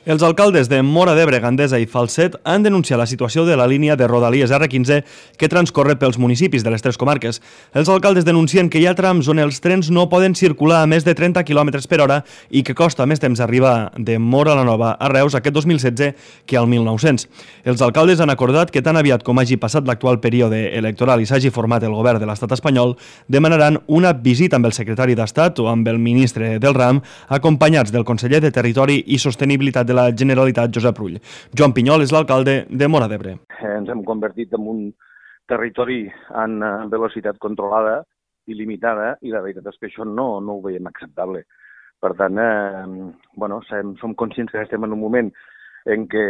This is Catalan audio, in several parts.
Els alcaldes de Móra d'Ebre, Gandesa i Falset han denunciat la situació de la línia de Rodalies R15 que transcorre pels municipis de les tres comarques. Els alcaldes denuncien que hi ha trams on els trens no poden circular a més de 30 km per hora i que costa més temps arribar de Móra la Nova a Reus aquest 2016 que al 1900. Els alcaldes han acordat que tan aviat com hagi passat l'actual període electoral i s'hagi format el govern de l'estat espanyol, demanaran una visita amb el secretari d'Estat o amb el ministre del RAM, acompanyats del conseller de Territori i Sostenibilitat de la Generalitat, Josep Rull. Joan Pinyol és l'alcalde de Móra d'Ebre. Ens hem convertit en un territori en velocitat controlada i limitada i la veritat és que això no ho veiem acceptable. Per tant, som conscients que estem en un moment en què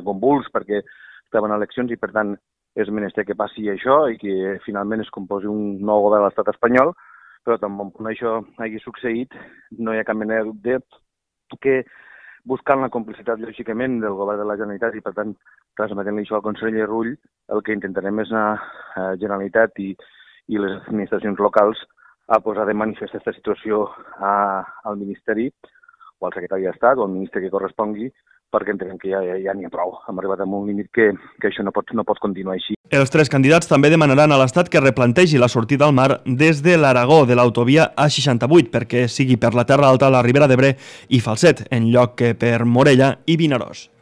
convuls perquè estem en eleccions i per tant és menester que passi això i que finalment es composi un nou govern de l'estat espanyol, però també quan això hagi succeït no hi ha cap mena de dubte que buscant la complicitat, lògicament, del govern de la Generalitat i, per tant, transmetent-li això al conseller Rull, el que intentarem és la Generalitat i les administracions locals a posar de manifest aquesta situació al Ministeri o al secretari d'Estat o al ministre que correspongui, perquè entenem que ja n'hi ha prou. Hem arribat a un límit que això no pot continuar així. Els tres candidats també demanaran a l'Estat que replantegi la sortida al mar des de l'Aragó de l'autovia A68 perquè sigui per la Terra Alta, la Ribera d'Ebre i Falset, en lloc que per Morella i Vinaròs.